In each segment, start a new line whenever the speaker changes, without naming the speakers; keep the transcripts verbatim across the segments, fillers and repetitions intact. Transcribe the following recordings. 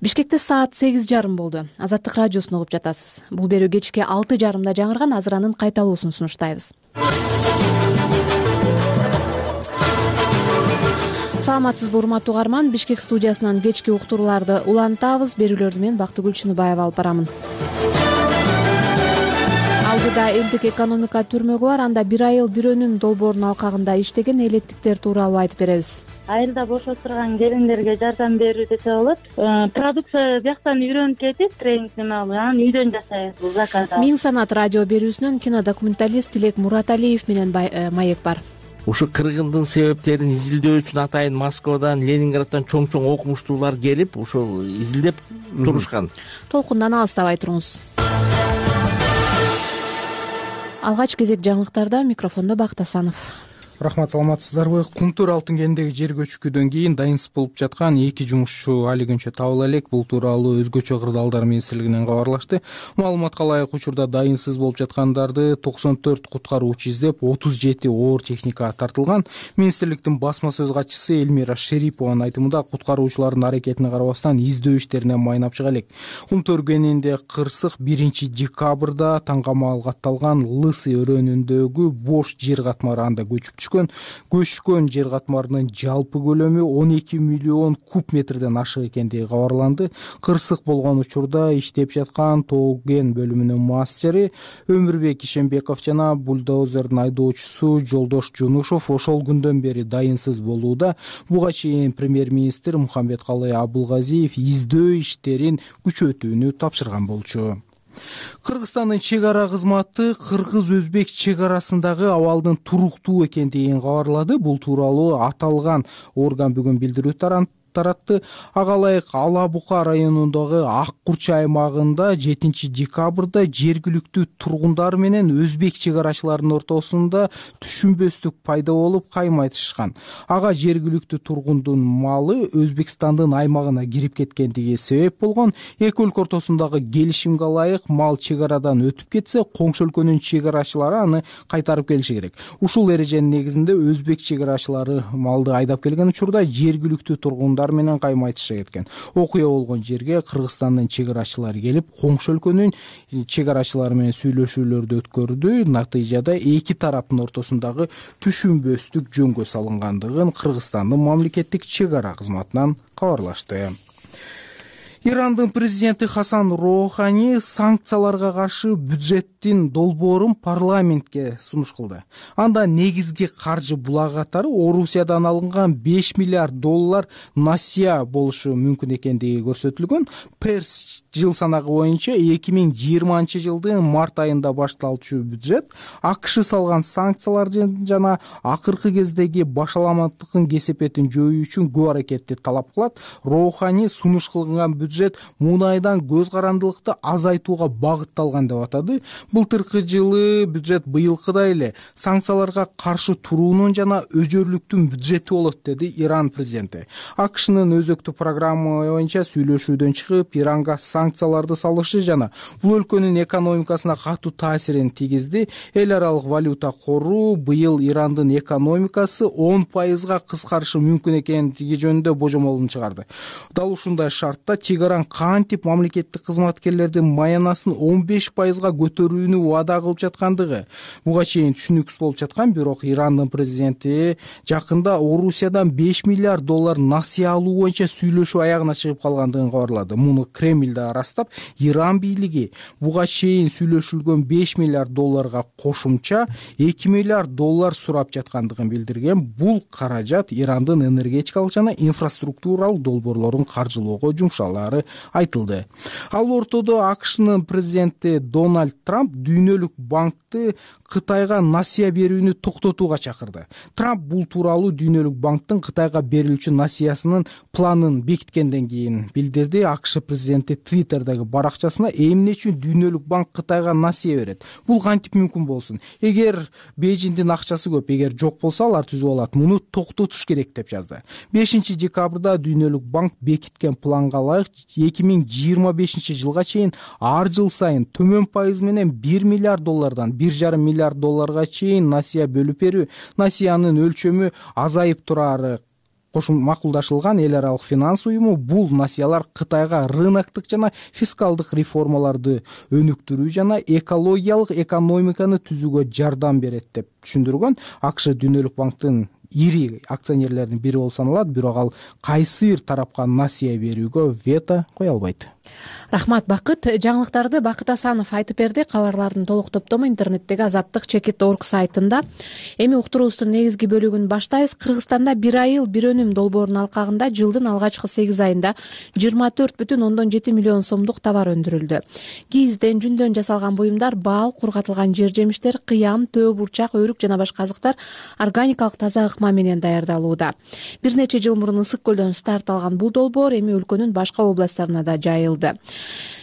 Бишкекте саат сегиз жарым болду. Азаттык радиосун угуп жатасыз. Бул берүү кечки алты жарымда жаңырган азыранын кайталуусун сунуштайбыз. Саламатсызбы урматтуу угарман, Бишкек студиясынан кечки уктурууларды улантабыз. Берүүлөрдү мен Бактыгүл Чыныбаева алып барамын. Алдыда элдик экономика түрмөгү бар, анда бир айыл бир өнүм долбоорунун алкагында иштеген элеттиктер тууралуу айтып беребиз.
Айылда бош отурган келиндерге жардам берүү десе болот. Продукция бияктан үйрөнүп кетип, тренинг неме алып, анан үйдөн жасайбыз бул заказды.
Миң санат радио берүүсүнөн кинодокументалист Тилек Мураталиев менен маек бар.
Ушу кыргындын себептерин изилдөө үчүн атайын Москвадан, Ленинграддан чоң-чоң окумуштуулар келип, ошол изилдеп турушкан.
Толкундан алыстабай туруңуз. Алгач кезек жаңылыктарда, микрофондо Бактасанов.
Рахмат, саламатсыздарбы? Кумтөр алтын кенидеги жер көчкүдөн кийин дайынсыз болуп жаткан эки жумушчу али күнчө табыла элек. Бул тууралуу өзгөчө кырдаалдар министрлигинен кабарлашты. Маалыматка ылайык, учурда дайынсыз болуп жаткандарды токсон төрт куткаруучу издеп, отуз жети оор техника тартылган. Министрликтин басма сөз катчысы Эльмира Шерипованын айтымында, куткаруучулардын аракетине карабастан издөө иштеринен майнап чыга элек. Кумтөр кенинде кырсык биринчи декабрда таңгамал катталган Лысый өрөөнүндөгү бош жер катмары анда көчүп түшкөн. Көчкөн жер катмарынын жалпы көлөмү он эки миллион куб метрден ашык экендиги кабарланды. Кырсык болгон учурда иштеп жаткан тоо кен бөлүмүнүн мастери Өмүрбек Ишембеков жана бульдозердин айдоочусу Жолдош Жунушов ошол күндөн бери дайынсыз болууда. Буга чейин премьер-министр Мухамбеткалый Абылгазиев издөө иштерин күчөтүүнү тапшырган болчу. Кыргызстандын чек ара кызматы кыргыз-өзбек чек арасындагы абалдын туруктуу экендигин кабарлады. Бул тууралуу аталган орган бүгүн билдирүү таратты. Ага ылайык Ала Бука районундагы Ак Курча аймагында жетинчи декабрда жергиликтүү тургундар менен өзбек чек арачыларынын ортосунда түшүнбөстүк пайда болуп каймайтышкан. Ага жергиликтүү тургундун малы Өзбекстандын аймагына кирип кеткендиги себеп болгон. Эки өлкө ортосундагы келишимге ылайык мал чек арадан өтүп кетсе, коңшу өлкөнүн чек арачылары аны кайтарып келиши керек. Ушул эреженин негизинде өзбек чек арачылары малды айдап келген учурда жергиликтүү тургундар менен каймайтыша кеткен. Окуя болгон жерге Кыргызстандын чек арачылары келип, коңшу өлкөнүн чек арачылары менен сүйлөшүүлөрдү өткөрдү. Натыйжада эки тараптын ортосундагы түшүнбөстүк жөнгө салынгандыгын Кыргызстандын мамлекеттик чек ара кызматынан кабарлашты. Ирандын президенти Хасан Роухани санкцияларга каршы бюджеттин долбоорун парламентке сунуш кылды. Анда негизги каржы булак катары Орусиядан алынган беш миллиард доллар насыя болушу мүмкүн экендиги көрсөтүлгөн. Перс жыл санагы боюнча эки миң жыйырманчы жылдын март айында башталчу бюджет АКШ салган санкциялар жана акыркы кездеги башаламаттыктын кесепетин жоюу үчүн көп аракетти талап кылат. Роухани сунуш кылган бюджет мунайдан көз карандылыкты азайтууга багытталган деп атады. Былтыркы жылы бюджет быйылкыдай эле санкцияларга каршы туруунун жана өжөрлүктүн бюджети болот, деди Иран президенти. АКШнын өзөктүү программа боюнча сүйлөшүүдөн чыгып, Иранга санкцияларды салышы жана бул өлкөнүн экономикасына катуу таасирин тийгизди. Эл аралык валюта кору быйыл Ирандын экономикасы он пайызга кыскарышы мүмкүн экендиги жөнүндө божомолун чыгарды. Дал ушундай шартта чек-аран кантип мамлекеттик кызматкерлердин маянасын он беш пайызга көтөрүүнү убада кылып жаткандыгы буга чейин түшүнүксүз болуп жаткан. Бирок Ирандын президенти жакында Орусиядан беш миллиард доллар насыя алуу боюнча сүйлөшүү аягына чыгып калгандыгын кабарлады. Муну Кремльде арастап, Иран бийлиги буга чейин сүйлөшүлгөн беш миллиард долларга кошумча эки миллиард доллар сурап жаткандыгын билдирген. Бул каражат Ирандын энергетикалык жана инфраструктуралык долбоорлорун каржылоого жумшалары айтылды. Ал ортодо АКШнын президенти Дональд Трамп Дүйнөлүк банкты Кытайга насыя берүүнү токтотууга чакырды. Трамп бул тууралуу Дүйнөлүк банктын Кытайга берилүүчү насыясынын планын бекиткенден кийин билдирди. АКШ президенти Твиттердеги баракчасына эмне үчүн Дүйнөлүк банк Кытайга насыя берет? Бул кантип мүмкүн болсун? Эгер Бейжиңдин акчасы көп, эгер жок болсо алар түзүп алат. Муну токтотуш керек деп жазды. бешинчи декабрда Дүйнөлүк банк бекиткен планга ылайык эки миң жыйырма бешинчи жылга чейин ар жыл сайын төмөн пайыз менен бир миллиард доллардан бир жарым миллиард долларга чейин насыя бөлүп берүү. Насыянын өлчөмү азайып турары макулдашылган эл аралык финанс уюму бул насыялар Кытайга рыноктук жана фискалдык реформаларды өнүктүрүү жана экологиялык экономиканы түзүүгө жардам берет деп түшүндүргөн. АКШ Дүйнөлүк банктын ири акционерлеринин бири болуп саналат, бирок ал кайсы бир тарапка насыя берүүгө вето кое албайт.
Рахмат, Бакыт. Жаңылыктарды Бакыт Асанов айтып берди. Кабарлардын толук топтому интернеттеги азаттык чекит точка орг сайтында. Эми уктуруубуздун негизги бөлүгүн баштайбыз. Кыргызстанда бир айыл бир өнүм долбоорунун алкагында жылдын алгачкы сегиз айында жыйырма төрт бүтүн ондон жети миллион сомдук товар өндүрүлдү. Кийизден, жүндөн жасалган буюмдар, бал, кургатылган жер жемиштер, кыям, төө, бурчак, өрүк жана башка азыктар органикалык таза ыкма менен даярдалууда. Бир нече жыл мурун Ысык көлдөн старт алган бул долбоор эми өлкөнүн башка областтарына да жайылды.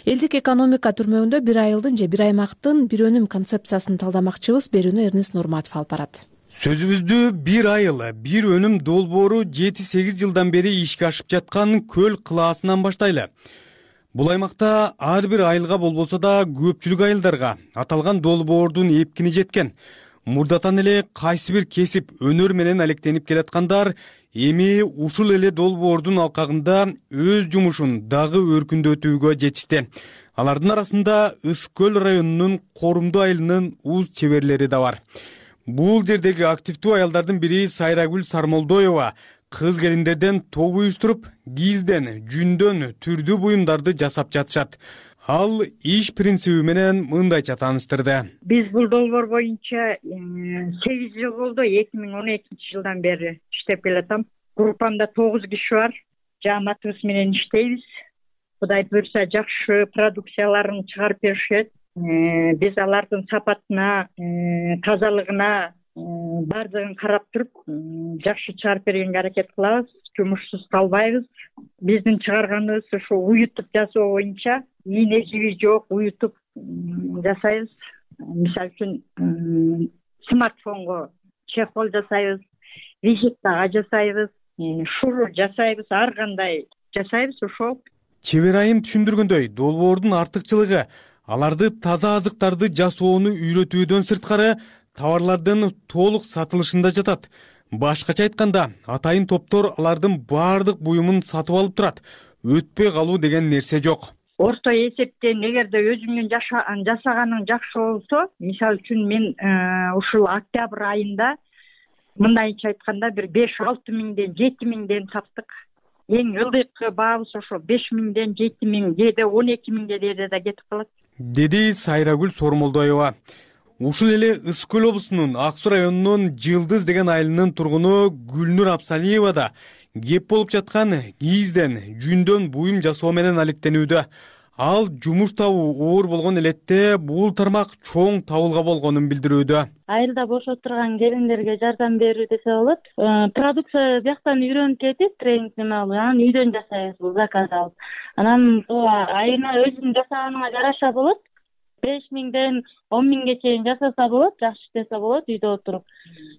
Элдик экономика түрмөгүндө бир айылдын же бир аймактын бир өнүм концепциясын талдамакчыбыз. Берүүнү Эрнест Нурматов алып барат.
Сөзүбүздү бир айыл бир өнүм долбоору жети сегиз жылдан бери ишке ашып жаткан Көл кылаасынан баштайлы. Бул аймакта ар бир айылга болбосо да көпчүлүк айылдарга аталган долбоордун эпкини жеткен. Мурдатан эле кайсы бир кесип өнөр менен алектенип келаткандар эми ушул эле долбоордун алкагында өз жумушун дагы өркүндөтүүгө жетишти. Алардын арасында Ысык көл районунун Корумду айылынын уз чеберлери да бар. Бул жердеги активдүү аялдардын бири Сайрагүл Сармолдоева кыз келиндерден топ уюштуруп, кийизден, жүндөн түрдүү буюмдарды жасап жатышат. Ал иш принциби менен мындайча тааныштырды.
Биз бул долбоор боюнча сегиз жыл болду, эки миң он экинчи жылдан бери иштеп келатам. Группамда тогуз киши бар. Жааматыбыз менен иштейбиз. Кудай буйрса жакшы продукцияларын чыгарып беришет. Биз алардын сапатына, тазалыгына бардыгын карап туруп, жакшы чыгарып бергенге аракет кылабыз. Жумушсуз калбайбыз. Биздин чыгарганыбыз ушу уютуп жасоо боюнча, ийне жиби жок, уютуп жасайбыз. Мисалы үчүн смартфонго чехол жасайбыз, визиткага жасайбыз, шурур жасайбыз, ар кандай жасайбыз. Ошол
Чебер айым түшүндүргөндөй, долбоордун артыкчылыгы аларды таза азыктарды жасоону үйрөтүүдөн сырткары товарлардын толук сатылышында жатат. Башкача айтканда, атайын топтор алардын баардык буюмун сатып алып турат. Өтпөй калуу деген нерсе жок.
Орто эсептен эгерде өзүңдүн жасаганың жакшы болсо, мисалы үчүн мен ушул октябрь айында мындайча айтканда бир беш алты миңден жети миңден саттык. Эң ылдыйкы баабыз ошо беш миңден жети миң, кээде он эки миңге дээде да кетип калат,
деди Сайрагүл Сормолдоева. Ушул эле Ысык көл облусунун Ак Суу районунун Жылдыз деген айылынын тургуну Гүлнур Абсалиева да кеп болуп жаткан кийизден, жүндөн буюм жасоо менен алектенүүдө. Ал жумуш табуу оор болгон элетте бул тармак чоң табылга болгонун билдирүүдө.
Айылда бош отурган келиндерге жардам берүү десе болот. Продукция бияктан үйрөнүп кетип, тренинг неме алып, анан үйдөн жасайбыз, бул заказ алып. Анан айына өзүң жасаганыңа жараша болот. беш миңден он миңге чейин жасаса болот, жакшы иштесе болот үйдө отуруп.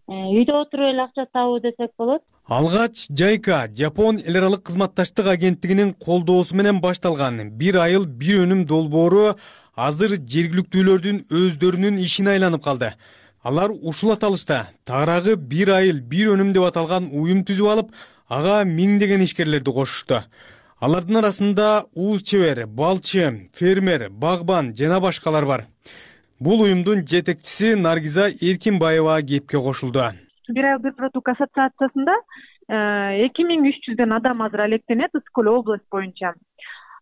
Үйдө отуруп эле акча табуу десек болот.
Алгач Жайка, Жапон эл аралык кызматташтык агенттигинин колдоосу менен башталган бир айыл бир өнүм долбоору азыр жергиликтүүлөрдүн өздөрүнүн ишине айланып калды. Алар ушул аталышта тагыраагы бир айыл бир өнүм деп аталган уюм түзүп алып, ага миңдеген ишкерлерди кошушту. Алардын арасында уз чебер, балчы, фермер, багбан жана башкалар бар. Бул уюмдун жетекчиси Наргиза Эркинбаева кепке кошулду.
Бир айыл бир продукт ассоциациясында эки миң үч жүздөн адам азыр алектенет Ысык көл область боюнча.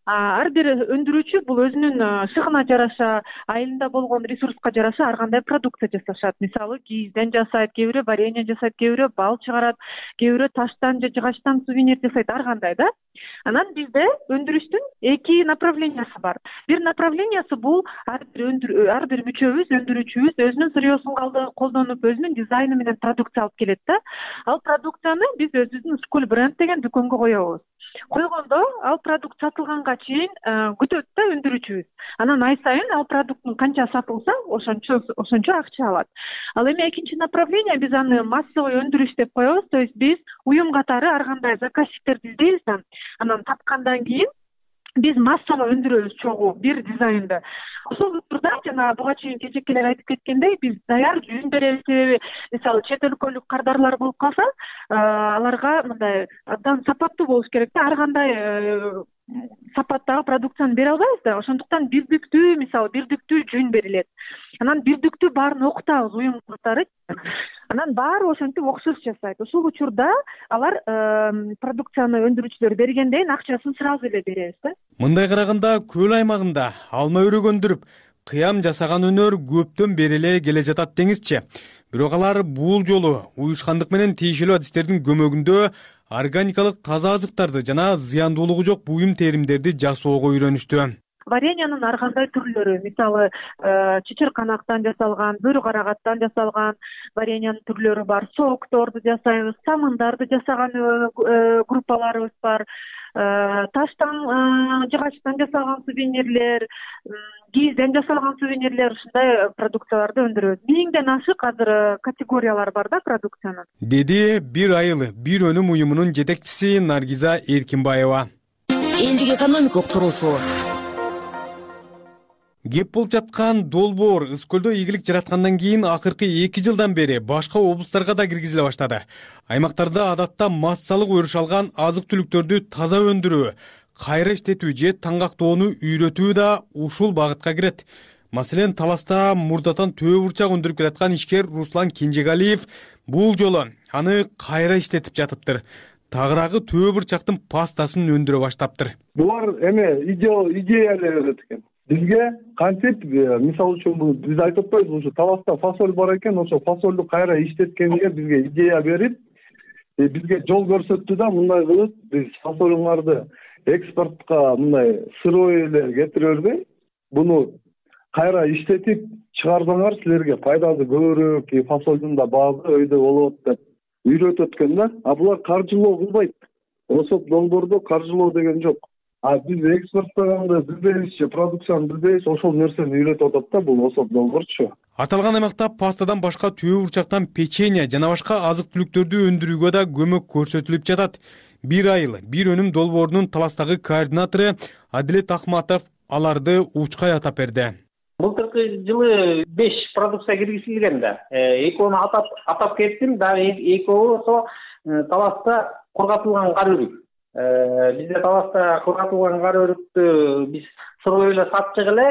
Ар бир өндүрүүчү бул өзүнүн шыгына жараша, айылында болгон ресурска жараша ар кандай продукция жасашат. Мисалы, кийизден жасайт, кээ бирөө варенье жасайт, кээ бирөө бал чыгарат, кээ бирөө таштан же жыгачтан сувенир жасайт, ар кандай да. Анан бизде өндүрүштүн эки направлениясы бар. Бир направлениясы бул ар бир өндүр ар бир мүчөбүз, өндүрүүчүбүз өзүнүн сырьёсун колдонуп, өзүнүн дизайны менен продукция алып келет да. Ал продукцияны биз өзүбүздүн Ысык көл бренд деген дүкөнгө коебуз. Койгондо ал продукт сатылганга чейин күтөт да өндүрүүчүбүз. Анан ай сайын ал продукттун канча сатылса, ошончо ошончо акча алат. Ал эми экинчи направление биз аны массовый өндүрүш деп коебуз. То есть биз уюм катары ар кандай заказчиктерди издейбиз да. Анан тапкандан кийин биз массалуу өндүрөбүз чогуу бир дизайнды. Ошол учурда жана буга чейин кечекелер айтып кеткендей, биз даяр жүн беребиз. Себеби мисалы чет өлкөлүк кардарлар болуп калса, аларга мындай абдан сапаттуу болуш керек да, ар кандай сапаттагы продукцияны бере албайбыз да. Ошондуктан бирдиктүү, мисалы бирдиктүү жүн берилет. Анан бирдиктүү баарын окутабыз уюм катары. Анан баары ошентип окшош жасайт. Ошол учурда алар продукцияны өндүрүүчүлөр бергенден кийин акчасын сразу эле беребиз да.
Мындай караганда көл аймагында алма өрөк өндүрүп, кыям жасаган өнөр көптөн бери эле келе жатат деңизчи. Бирок алар бул жолу уюшкандык менен тиешелүү адистердин көмөгүндө органикалык таза азыктарды жана зыяндуулугу жок буюм теримдерди жасоого үйрөнүштү.
Вареньянын ар кандай түрлөрү, мисалы чычырканактан жасалган, бөрү карагаттан жасалган вареньянын түрлөрү бар. Сокторду жасайбыз, самындарды жасаган группаларыбыз бар. Таштан, жыгачтан жасалган сувенирлер, кийизден жасалган сувенирлер, ушундай продукцияларды өндүрөбүз. Миңден ашык азыр категориялар бар да продукциянын.
Деди бир айыл бир өнүм уюмунун жетекчиси Наргиза Эркинбаева.
Элдик экономика уктуруусу.
Кеп болуп жаткан долбоор Ыс көлдө ийгилик жараткандан кийин акыркы эки жылдан бери башка облустарга да киргизиле баштады. Аймактарда адатта массалык өрүш алган азык-түлүктөрдү таза өндүрүү, кайра иштетүү же таңгактоону үйрөтүү да ушул багытка кирет. Маселен, Таласта мурдатан төө бурчак өндүрүп келаткан ишкер Руслан Кенжегалиев бул жолу аны кайра иштетип жатыптыр. Тагыраагы төө бурчактын пастасын өндүрө баштаптыр.
Булар эме идея эле берет экен. Бизге кантип, мисалы үчүн бул биз айтып атпайбызбы, ушу Таласта фасоль бар экен, ошо фасолду кайра иштеткенге бизге идея берип, бизге жол көрсөттү да, мындай кылып биз фасолуңарды экспортко мындай сырой эле кетире бербей, буну кайра иштетип чыгарсаңар силерге пайдасы көбүрөөк, фасолдун да баазы өйдө болот деп үйрөтөт экен да. А булар каржылоо кылбайт. Ошол долбоордо каржылоо деген жок. А биз экспорттаганда билбейбиз, продукцияны билбейбиз, ошол нерсени үйрөтүп атат да бул ошол долбоорчу.
Аталган аймакта пастадан башка төө бурчактан печенье жана башка азык-түлүктөрдү өндүрүүгө да көмөк көрсөтүлүп жатат. Бир айыл бир өнүм долбоорунун Таластагы координатору Адилет Ахматов аларды учкай атап берди.
Былтыркы жылы беш продукция киргизилген да. Экөөнү атап атап кеттим, дагы экөө ошо Таласта кургатылган кар өрүк. Бизде Таласта кургатылган кар өрүктү биз сырой эле сатчык эле.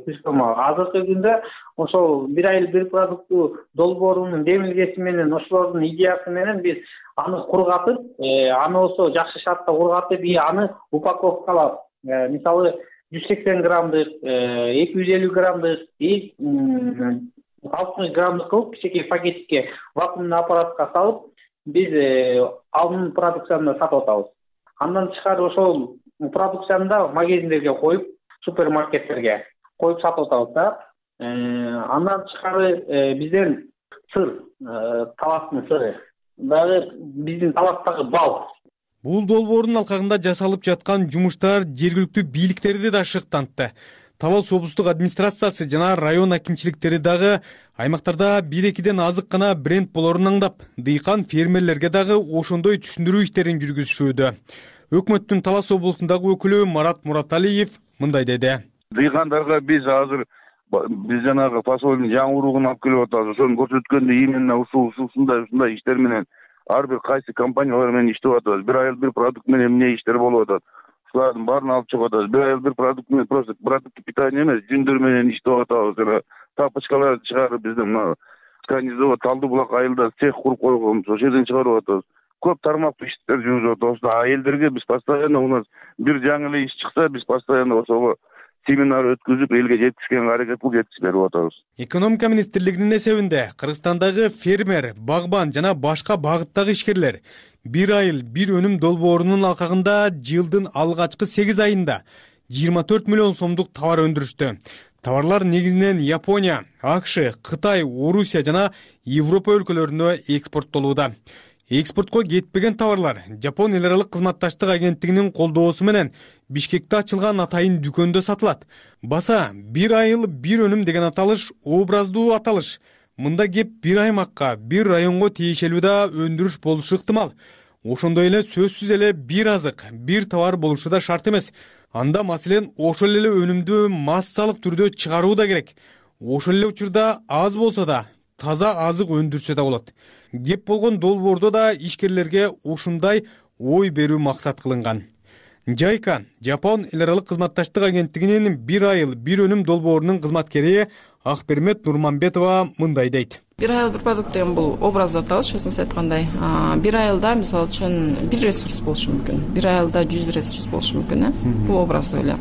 Азыркы күндө ошол бир айыл бир продуктту долбоорунун демилгеси менен, ошолордун идеясы менен биз аны кургатып, аны ошо жакшы шартта кургатып, аны упаковкалап, мисалы жүз сексен граммдык, эки жүз элүү граммдык, алтымыш граммдык кылып кичинекей пакетикке вакуумдуу аппаратка салып, биз анын продукцияны сатып атабыз. Андан тышкары ошол продукцияны да магазиндерге коюп, супермаркеттерге коюп сатып атабыз да. Андан тышкары бизден сыр, Таластын сыры, дагы биздин Таластагы бал.
Бул долбоордун алкагында жасалып жаткан жумуштар жергиликтүү бийликтерди да шыктантты. Талас облустук администрациясы жана район акимчиликтери дагы аймактарда бир-экиден азык гана бренд болорун аңдап, дыйкан фермерлерге дагы ошондой түшүндүрүү иштерин жүргүзүшүүдө. Өкмөттүн Талас облусундагы өкүлү Марат Мураталиев мындай деди.
Дыйкандарга биз азыр биз жанагы фасолдун жаңы уругун алып келип атабыз. Ошону көрсөткөндө именно ушул ушундай ушундай иштер менен ар бир кайсы компаниялар менен иштеп атабыз. Бир айыл бир продукт менен эмне иштер болуп атат. Ушулардын баарын алып чыгып атабыз. Бир айыл бир продукт менен просто продукт питания эмес, жүндөр менен иштеп атабыз. Жана тапочкаларды чыгарып биздин мына Канизово, Талды булак айылда цех куруп койгонбуз. Ошол жерден чыгарып атабыз. Көп тармактуу иштер жүргүзүп атабыз. А элдерге биз постоянно у нас бир жаңы эле иш чыкса, биз постоянно ошого семинар өткүзүп, элге жеткизгенге аракет кылып жеткизип берип атабыз.
Экономика министрлигинин эсебинде Кыргызстандагы фермер, багбан жана башка багыттагы ишкерлер бир айыл бир өнүм долбоорунун алкагында жылдын алгачкы сегиз айында жыйырма төрт миллион сомдук товар өндүрүштү. Товарлар негизинен Япония, АКШ, Кытай, Орусия жана Европа өлкөлөрүнө экспорттолууда. Экспортко кетпеген товарлар Жапон эл аралык кызматташтык агенттигинин колдоосу менен Бишкекте ачылган атайын дүкөндө сатылат. Баса бир айыл бир өнүм деген аталыш образдуу аталыш. Мында кеп бир аймакка, бир районго тиешелүү да өндүрүш болушу ыктымал. ошондой эле сөзсүз эле бир азык, бир товар болушу да шарт эмес. Анда маселен ошол эле өнүмдү массалык түрдө чыгаруу да керек. Ошол эле учурда аз болсо да таза азык өндүрсө да болот. Кеп болгон долбоордо да ишкерлерге ушундай ой берүү максат кылынган. Жайка, Жапон эл аралык кызматташтык агенттигинин бир айыл бир өнүм долбоорунун кызматкери Акбермет Нурманбетова мындай дейт.
Бир айыл бир продукт деген бул образды аталыш, өзүңүз айткандай. Бир айылда мисалы үчүн бир ресурс болушу мүмкүн. Бир айылда жүз ресурс болушу мүмкүн, э? Бул образды эле.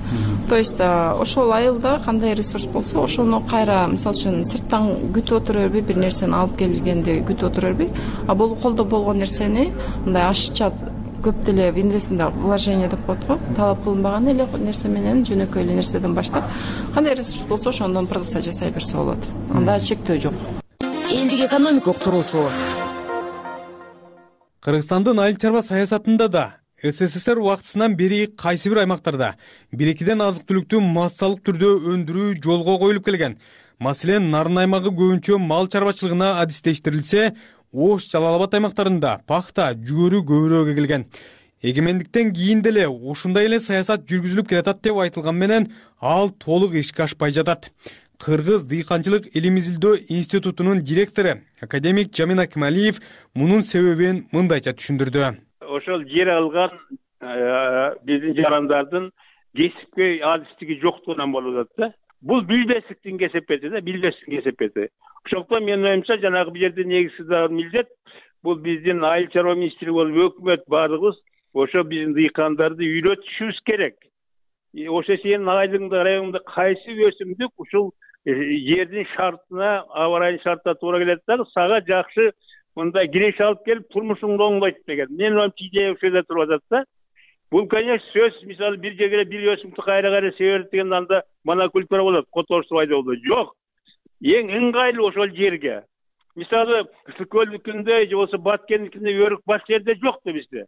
То есть ошол айылда кандай ресурс болсо, ошону кайра мисалы үчүн сырттан күтүп отура бербей, бир нерсени алып келгенди күтүп отура бербей, а бул колдо болгон нерсени мындай ашыкча көп деле в инвестинде вложение деп коет го, талап кылынбаган эле нерсе менен жөнөкөй эле нерседен баштап, кандай ресурс болсо ошондон продукция жасай берсе болот. Анда чектөө жок.
Элдик экономика уктуруусу.
Кыргызстандын айыл чарба саясатында да СССР убактысынан бери кайсы бир аймактарда бир-экиден азык-түлүктү массалык түрдө өндүрүү жолго коюлуп келген. Маселен, Нарын аймагы көбүнчө мал чарбачылыгына адистештирилсе, Ош, Жалал Абад аймактарында пахта, жүгөрү көбүрөөк эгилген. Эгемендиктен кийин деле ушундай эле саясат жүргүзүлүп келатат деп айтылган менен ал толук ишке ашпай жатат. Кыргыз дыйканчылык илим изилдөө институтунун директору академик Жамин Акималиев мунун себебин мындайча түшүндүрдү.
Ошол жер алган биздин жарандардын кесипке адистиги жоктугунан болуп атат да. Бул билбестиктин кесепети да, билбестиктин кесепети. Ошондуктан менин оюмча жанагы бул жерде негизги дагы милдет бул биздин айыл чарба министрлиги болуп өкмөт баардыгыбыз ошо биздин дыйкандарды үйрөтүшүбүз керек. Ошо сенин айылыңда, районуңда кайсы өсүмдүк ушул жердин шартына, аба ырайынын шартына туура келет да, сага жакшы мындай киреш алып келип турмушуңду оңдойт деген. Менин оюмча идея ошол жерде туруп атат да. Бул, конечно, сөз, мисалы, бир жерге бир өсүмдүктү кайра-кайра себерет деген анда монокультура болот, которуштуу пайда болот. Жок. Эң ыңгайлуу ошол жерге. Мисалы, Ысыккөлдүкүндө же болсо Баткендикинде өрүк баш жерде жок да бизде.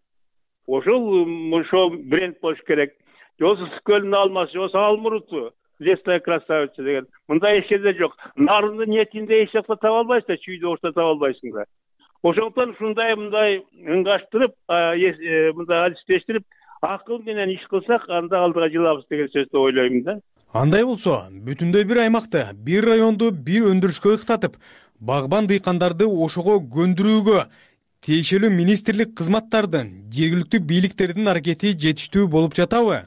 Ошол ошол бренд болуш керек. Же болсо Ысыккөлдүн алмасы, же болсо Алмуруту, лесная красавица деген. Мындай эч жерде жок. Нарындын этинде эч жакта таба албайсың, чүйдө ошто таба албайсың да. Ошондуктан ушундай мындай ыңгаштырып, мындай адистештирип, акыл менен иш кылсак, анда алдыга жылабыз деген сөздү ойлойм да.
Андай болсо, бүтүндөй бир аймакты, бир районду бир өндүрүшкө ыктатып, багбан дыйкандарды ошого көндүрүүгө тиешелүү министрлик кызматтардын, жергиликтүү бийликтердин аракети жетиштүү болуп жатабы?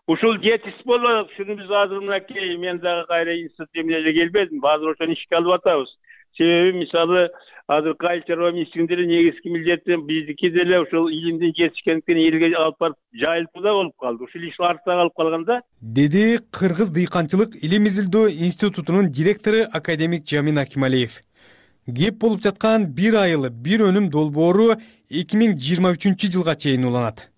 Ушул жетиш болот. Шуну биз азыр мынакей мен дагы кайра институт эмнеге келбедим. Азыр ошону ишке алып атабыз. Себеби мисалы азыр айыл чарба министрлигинин негизги милдети биздики деле ошол илимдин жетишкендиктен элге алып барып жайылтуу да болуп калды. Ушул иш артта калып калганда,
деди Кыргыз дыйканчылык илим изилдөө институтунун директору академик Жамин Акималиев. Кеп болуп жаткан бир айыл бир өнүм долбоору эки миң жыйырма үчүнчү жылга чейин уланат.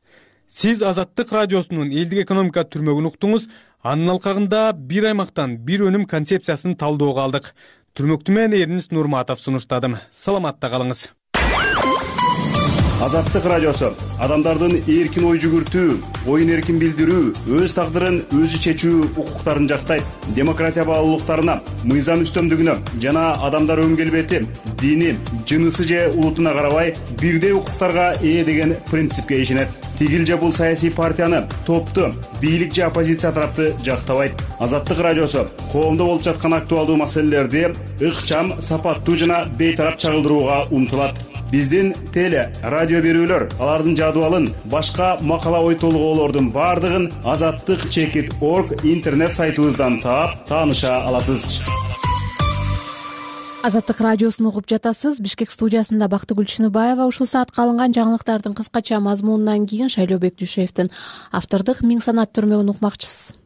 Сиз Азаттык радиосунун элдик экономика түрмөгүн уктуңуз. Анын алкагында бир аймактан бир өнүм концепциясын талдоого алдык. Түрмөктү мен Эрнис Нурматов сунуштадым. Саламатта калыңыз.
Азаттык радиосу адамдардын эркин ой жүгүртүү, оюн эркин билдирүү, өз тагдырын өзү чечүү укуктарын жактайт. Демократия баалуулуктарына, мыйзам үстөмдүгүнө жана адамдар өн келбети, дини, жынысы же улутуна карабай бирдей укуктарга ээ деген принципке ишенет. Тигил же бул саясий партияны, топту, бийлик же оппозиция тарапты жактабайт. Азаттык радиосу коомдо болуп жаткан актуалдуу маселелерди ыкчам, сапаттуу жана бейтарап чагылдырууга умтулат. Биздин теле, радио берүүлөр, алардын жадыбалын, башка макала ой толгоолордун бардыгын азаттык чекит точка орг интернет сайтыбыздан таап, тааныша аласыз.
Азаттык радиосун угуп жатасыз. Бишкек студиясында Бактыгүл Чыныбаева. Ушул саатка алынган жаңылыктардын кыскача мазмунунан кийин Шайлообек Дүйшеевдин автордук Миң санат түрмөгүн укмакчысыз.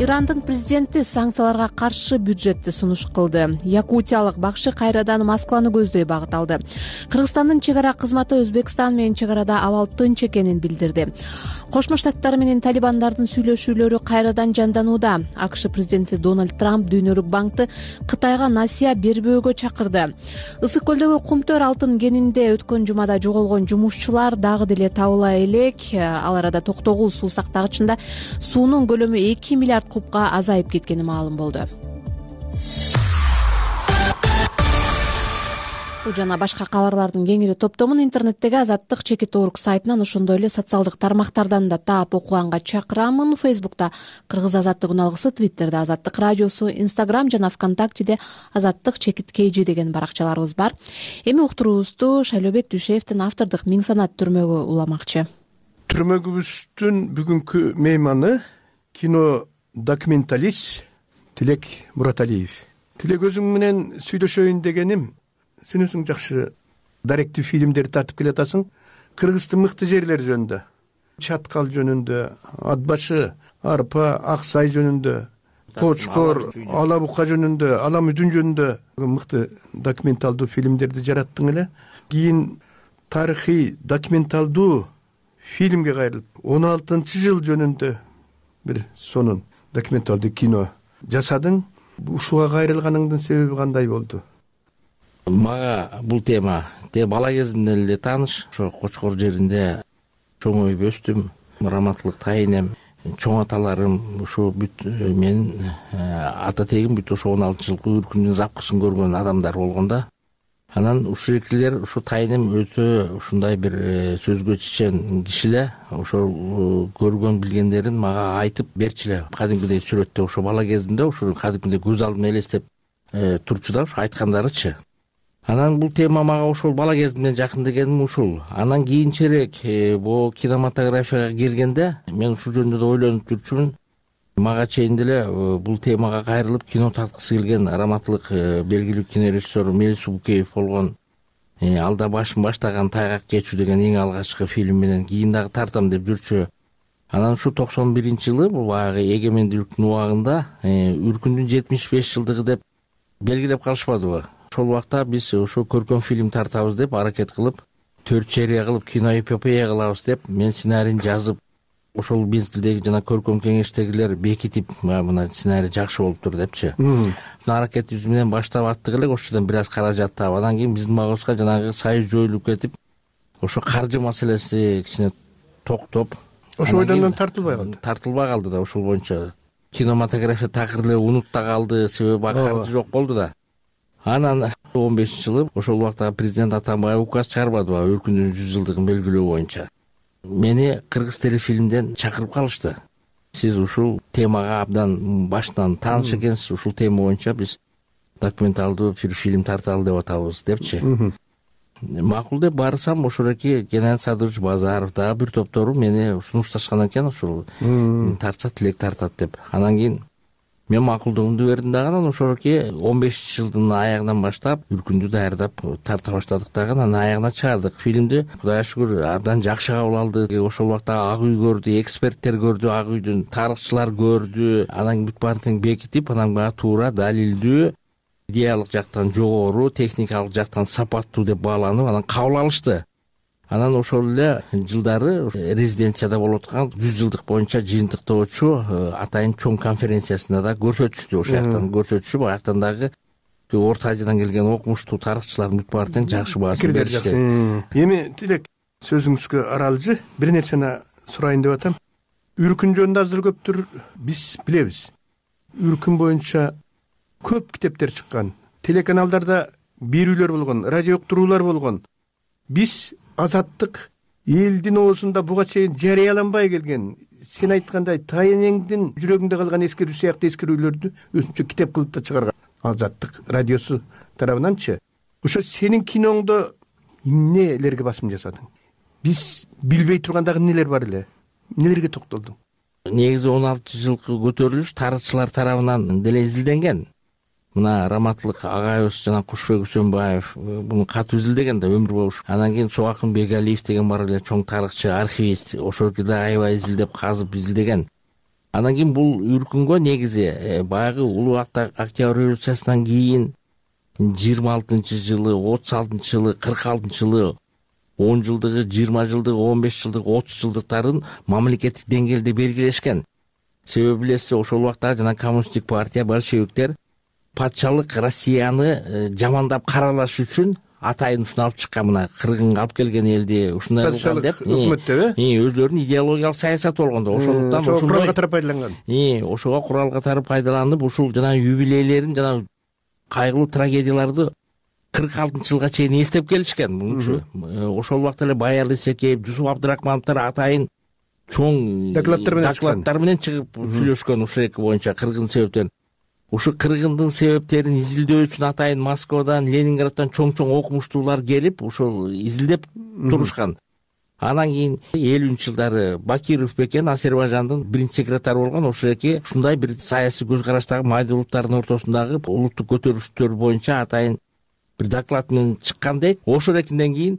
Ирандын президенти санкцияларга каршы бюджетти сунуш кылды. Якутиялык бакшы кайрадан Москваны көздөй багыт алды. Кыргызстандын чек ара кызматы Өзбекстан менен чек арада абал тынч экенин билдирди. Кошмо Штаттар менен талибандардын сүйлөшүүлөрү кайрадан жанданууда. АКШ президенти Дональд Трамп Дүйнөлүк банкты Кытайга насыя бербөөгө чакырды. Ысык көлдөгү Кумтөр алтын кенинде өткөн жумада жоголгон жумушчулар дагы деле табыла элек. Ал арада токтогул суу сактагычында суунун көлөмү эки миллиард кубка азайып кеткени маалым болду. Бул жана башка кабарлардын кеңири топтомун интернеттеги Азаттык чекит орг сайтынан, ошондой эле социалдык тармактардан да таап окуганга чакырамын. Фейсбукта Кыргыз Азаттык үналгысы, Твиттерде Азаттык радиосу, Инстаграм жана ВКонтактеде Азаттык чекит kg деген баракчаларыбыз бар. Эми уктуруубузду Шайлообек Дүйшеевдин автордук Миң санат түрмөгү уламакчы.
Түрмөгүбүздүн бүгүнкү мейманы кино документалист Тилек Мураталиев. Тилек, өзүң менен сүйлөшөйүн дегеним, сен өзүң жакшы даректүү фильмдерди тартып келатасың. Кыргыздын мыкты жерлери жөнүндө, Чаткал жөнүндө, Ат башы, Арпа, Ак Сай жөнүндө, Кочкор, Ала Бука жөнүндө, Ала Мүдүн жөнүндө мыкты документалдуу фильмдерди жараттың эле. Кийин тарыхый документалдуу фильмге кайрылып, он алтынчы жыл жөнүндө бир сонун документалдуу кино жасадың. Ушуга кайрылганыңдын себеби кандай болду?
Мага бул тема те бала кезимден эле тааныш. Ошо Кочкор жеринде чоңоюп өстүм. Раматылык тайынем, чоң аталарым, ушу бүт менин ата тегим бүт ошо он алтынчы жылкы үркүндүн запкысын көргөн адамдар болгон да. Анан ушул экилер, ушу тайынем өтө ушундай бир сөзгө чечен кишилер. Ошол көргөн билгендерин мага айтып берчиле. Кадимкидей сүрөттө ошо бала кезимде ушу кадимкидей көз алдыма элестеп турчу да, ушу айткандарычы. Анан бул тема мага ошол бала кезимден жакын дегеним ушул. Анан кийинчерээк бул кинематографияга келгенде мен ушул жөнүндө да ойлонуп жүрчүмүн. Мага чейин деле бул темага кайрылып кино тарткысы келген раматылык белгилүү кинорежиссер Мелис Букеев болгон. Алда башын баштаган Тайгак кечүү деген эң алгачкы фильм менен кийин дагы тартам деп жүрчү. Анан ушу токсон биринчи жылы бул баягы эгемендүүлүктүн убагында үркүндүн жетимиш беш жылдыгы деп белгилеп калышпадыбы? Ошол убакта биз ошо көркөм фильм тартабыз деп аракет кылып, төрт серия кылып киноэпопея кылабыз деп мен сценарийин жазып, ошол мезгилдеги жана көркөм кеңештегилер бекитип, мына сценарий жакшы болуптур депчи. Ушул аракетибиз менен баштап аттык элек, ошодон бир аз каражат таап, анан кийин биздин багыбызга жанагы союз жоюлуп кетип, ошо каржы маселеси кичине токтоп,
ошо ойдон тартылбай калды.
Тартылбай калды да, ошол боюнча кинематография такыр эле унутта калды, себеби каржы жок болду да. Анан он бешинчи жылы ошол убакта президент Атамбаев указ чыгарбадыбы үркүндүн жүз жылдыгын белгилөө боюнча. Мени Кыргыз телефильмден чакырып калышты. Сиз ушул темага абдан башынан тааныш экенсиз, ушул тема боюнча биз документалдуу бир фильм тарталы деп атабыз депчи. Макул деп барсам, ошоки Геннадий Садырович Базаров дагы бир топтору мени сунушташкан экен, ушул тартса Тилек тартат деп. Анан кийин мен макулдугумду бердим дагы, анан ошоки он бешинчи жылдын аягынан баштап үркүндү даярдап тарта баштадык дагы, анан аягына чыгардык фильмди. Кудайга шүгүр абдан жакшы кабыл алды. Ошол убакта Ак үй көрдү, эксперттер көрдү, Ак үйдүн тарыхчылар көрдү. Анан бүт баарын бекитип, анан баягы туура, далилдүү, идеялык жактан жогору, техникалык жактан сапаттуу деп бааланып, анан кабыл алышты. Анан ошол эле жылдары резиденцияда болуп аткан жүз жылдык боюнча жыйынтыктоочу атайын чоң конференциясында да көрсөтүштү. Ошол жактан көрсөтүшүп, аяктан дагы Орто Азиядан келген окумуштуу тарыхчылар бүт баарын жакшы баасын беришти.
Эми Тилек, сөзүңүзгө аралжы бир нерсени сурайын деп атам. Үркүн жөнүндө азыр көптүр биз билебиз. Үркүн боюнча көп китептер чыккан, телеканалдарда берүүлөр болгон, радио уктуруулар болгон. Биз Азаттык элдин оозунда буга чейин жарыяланбай келген, сен айткандай тайынеңдин жүрөгүндө калган эскерүү сыяктуу эскерүүлөрдү өзүнчө китеп кылып да чыгарган Азаттык радиосу тарабынанчы. Ошо сенин киноңдо эмнелерге басым жасадың? Биз билбей турган дагы эмнелер бар эле? Эмнелерге токтолдуң?
Негизи он алтынчы жылкы көтөрүлүш тарыхчылар тарабынан деле изилденген. Мына Раматылык агайыбыз жана Кушбек Үсөнбаев буну катуу изилдеген да өмүр бою. Анан кийин Собакын Бегалиев деген бар эле чоң тарыхчы, архивист, ошол да аябай изилдеп, казып изилдеген. Анан кийин бул үркүнгө негизи баягы улуу Октябрь революциясынан кийин жыйырма алтынчы жылы, отуз алтынчы жылы, кырк алтынчы жылы, он жылдыгы, жыйырма жылдыгы, он беш жылдык, отуз жылдыктарын мамлекеттик деңгээлде белгилешкен. Себеби билесиз, ошол убакта жана коммунисттик партия, большевиктер патшалык Россияны жамандап каралаш үчүн атайын ушуну алып чыккан, мына кыргынга алып келген элди ушундай кылган деп, өзлөрүнүн идеологиялык саясаты болгондо, ошондуктан
ошого курал катары пайдаланган.
Ошого курал катары пайдаланып, ушул жана юбилейлерин, жана кайгылуу трагедияларды кырк алтынчы жылга чейин эстеп келишкен мунчу. Ошол убакта эле Баял Исекеев, Жусуп Абдрахмановдор атайын чоң
докладдар менен
докладдар менен чыгып сүйлөшкөн ушул эки боюнча кыргын себептен. Ушу кыргындын себептерин изилдөө үчүн атайын Москвадан, Ленинграддан чоң-чоң окумуштуулар келип, ошол изилдеп турушкан. Анан кийин элүүнчү жылдары Бакиров бекен Азербайжандын биринчи секретары болгон. Ошол эки ушундай бир саясий көз караштагы майда улуттардын ортосундагы улуттук көтөрүлүштөр боюнча атайын бир доклад менен чыккан дейт. Ошол экинден кийин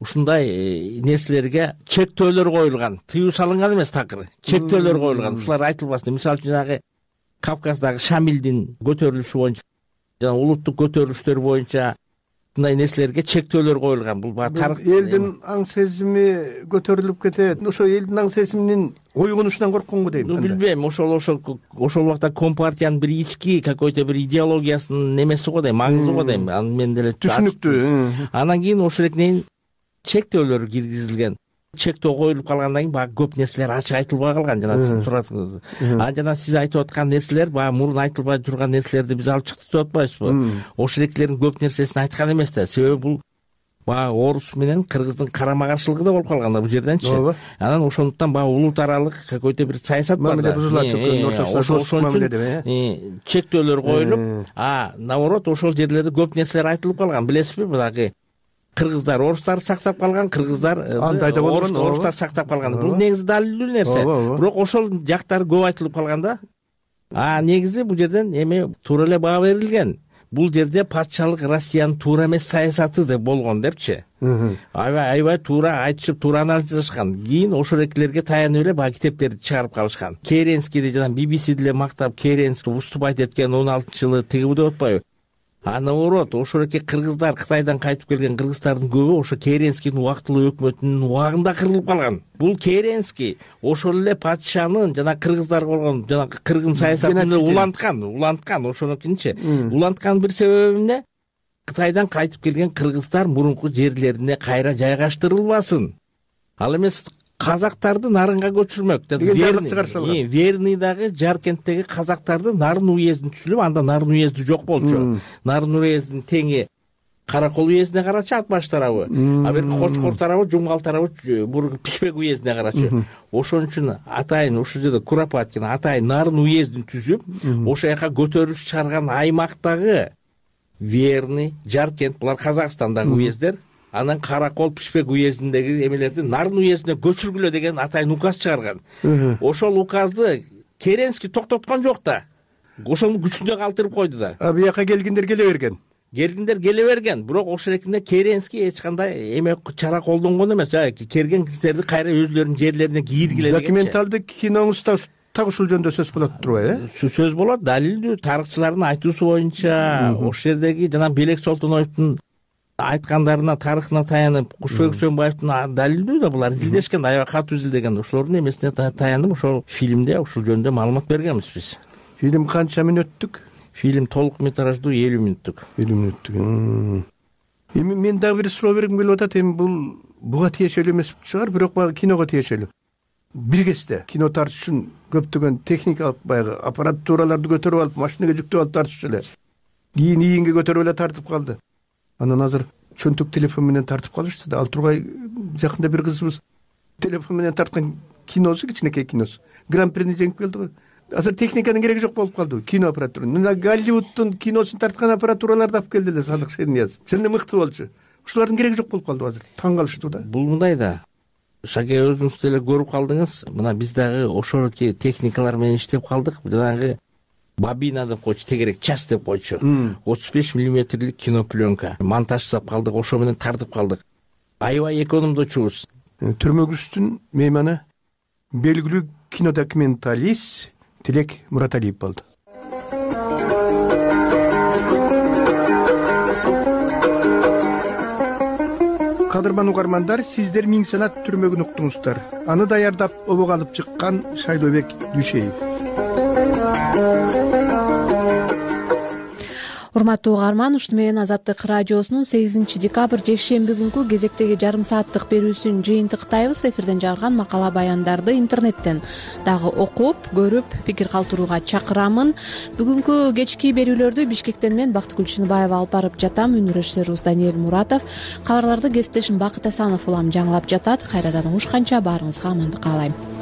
ушундай нерселерге чектөөлөр коюлган. Тыюу салынган эмес, такыр чектөөлөр коюлган. Ушулар айтылбасын. Мисалы үчүн жанагы Кавказдагы Шамилдин көтөрүлүшү боюнча жана улуттук көтөрүлүштөр боюнча мындай нерселерге чектөөлөр коюлган. Бул баары тарых.
Элдин аң сезими көтөрүлүп кетет. Ошо элдин аң сезиминин ойгонушунан коркконго дейм.
Билбейм, ошол ошол ошол убакта компартиянын бир ички какой-то бир идеологиясынын немеси го дейм, маңызы го дейм. Аны мен деле
түшүнүктүү.
Анан кийин ошол экинен чектөөлөр киргизилген. Чектөө коюлуп калгандан кийин баягы көп нерселер ачык айтылбай калган. Жана сиз туратсыз. А жана сиз айтып аткан нерселер баягы мурун айтылбай турган нерселерди биз алып чыктык деп атпайбызбы? Ошол экилердин көп нерсесин айткан эмес да. Себеби бул баягы орус менен кыргыздын карама каршылыгы да болуп калган да бул жерденчи. Анан ошондуктан баягы улут аралык какой-то бир саясат бар да. Ошол үчүн чектөөлөр коюлуп, а наоборот ошол жерлерде көп нерселер айтылып калган. Билесизби, баягы кыргыздар орустарды сактап калган, кыргыздар орустар сактап калган. Бул негизи далилдүү нерсе. Бирок ошол жактары көп айтылып калган да. А негизи бул жерден эми туура эле баа берилген. Бул жерде патшалык Россиянын туура эмес саясаты деп болгон депчи. Аябай аябай туура айтышып, туура анализ жасашкан. Кийин ошол экилерге таянып эле баягы китептерди чыгарып калышкан. Керенскийди жана би би си деле мактап, Керенский выступать эткен он алтынчы жылы тиги деп атпайбы? А наоборот, ошол эки кыргыздар, Кытайдан кайтып келген кыргыздардын көбү ошо Керенскийдин убактылуу өкмөтүнүн убагында кырылып калган. Бул Керенский ошол эле патшанын жана кыргыздар болгон жана кыргын саясатын уланткан, уланткан ошонукинчи. Уланткан бир себеби эмне? Кытайдан кайтып келген кыргыздар мурунку жерлерине кайра жайгаштырылбасын. Ал эмес казактарды нарынга көчүрмөк деген. Верныйдагы Жаркенттеги казактарды Нарын уездин түзүлүп, анда Нарын уезди жок болчу. Нарын уездин теңи Каракол уездине карачу ат баш тарабы, а берки Кочкор тарабы, Жумгал тарабы бул Пишпек уездине карачу. Ошон үчүн атайын ушул жерде Куропаткин атайын Нарын уездин түзүп, ошол жака көтөрүлүш чыгарган аймактагы Верный, Жаркент булар Казакстандагы уездер. Анан Каракол, Пишпек уездиндеги эмелерди Нарын уездине көчүргүлө деген атайын указ чыгарган. Ошол указды Керенский токтоткон жок да. Ошону күчүндө калтырып койду да.
А бияка келгендер келе берген.
Келгендер келе берген. Бирок ошол экинде Керенский эч кандай эме чара колдонгон эмес. Келген кишилерди кайра өзлөрүнүн жерлерине кийиргиле деген.
Документалдык киноңузда так ушул жөнүндө сөз болот турбайбы,
э? Сөз болот, далилдүү тарыхчылардын айтуусу боюнча ошол жердеги жана Белек Солтоноевдун айткандарына, тарыхына таянып, Кушбек Үсөнбаевдин далилдүү да булар изилдешкен, аябай катуу изилдеген. Ошолордун эмесине таянып ошол фильмде ушул жөнүндө маалымат бергенбиз биз.
Фильм канча мүнөттүк?
Фильм толук метраждуу элүү мүнөттүк.
элүү мүнөттүк. Эми мен дагы бир суроо бергим келип атат. Эми бул буга тиешелүү эмес чыгар, бирок баягы киного тиешелүү. Бир кезде кино тартыш үчүн көптөгөн техникалык баягы аппаратураларды көтөрүп алып, машинеге жүктөп алып тартышчу эле. Кийин ийинге көтөрүп эле тартып калды. Анан азыр чөнтөк телефон менен тартып калышты да. Ал тургай жакында бир кызыбыз телефон менен тарткан киносу, кичинекей киносу гран-прини жеңип келди го. Азыр техниканын кереги жок болуп калды кино аппаратуры. Мына Голливудтун киносун тарткан аппаратураларды алып келди эле Садык Шернияз. Сенде мыкты болчу. Ушулардын кереги жок болуп калды азыр. Таң калыштуу да.
Бул мындай да. Шаке өзүңүз деле көрүп калдыңыз. Мына биз дагы ошол техникалар менен иштеп калдык. Жанагы бобина деп койчу, тегерек час деп койчу. отуз беш миллиметрлик кинопленка монтаж жасап калдык, ошо менен тартып калдык. Аябай экономдочубуз.
Түрмөгүбүздүн мейманы белгилүү кинодокументалист Тилек Мураталиев болду. Кадырман угармандар, сиздер Миң санат түрмөгүн уктуңуздар. Аны даярдап обого алып чыккан Шайлообек Дүйшеев.
урматтуу угарман, ушуну менен Азаттык радиосунун сегизинчи декабрь жекшемби күнкү кезектеги жарым сааттык берүүсүн жыйынтыктайбыз. Эфирден жарган макала баяндарды интернеттен дагы окуп, көрүп, пикир калтырууга чакырамын. Бүгүнкү кечки берүүлөрдү Бишкектен мен Бактыгүл Чыныбаева алып барып жатам. Үнү режиссерибиз Даниэль Муратов. Кабарларды кесиптешим Бакыт Асанов улам жаңылап жатат. Кайрадан угушканча баарыңызга амандык каалайм.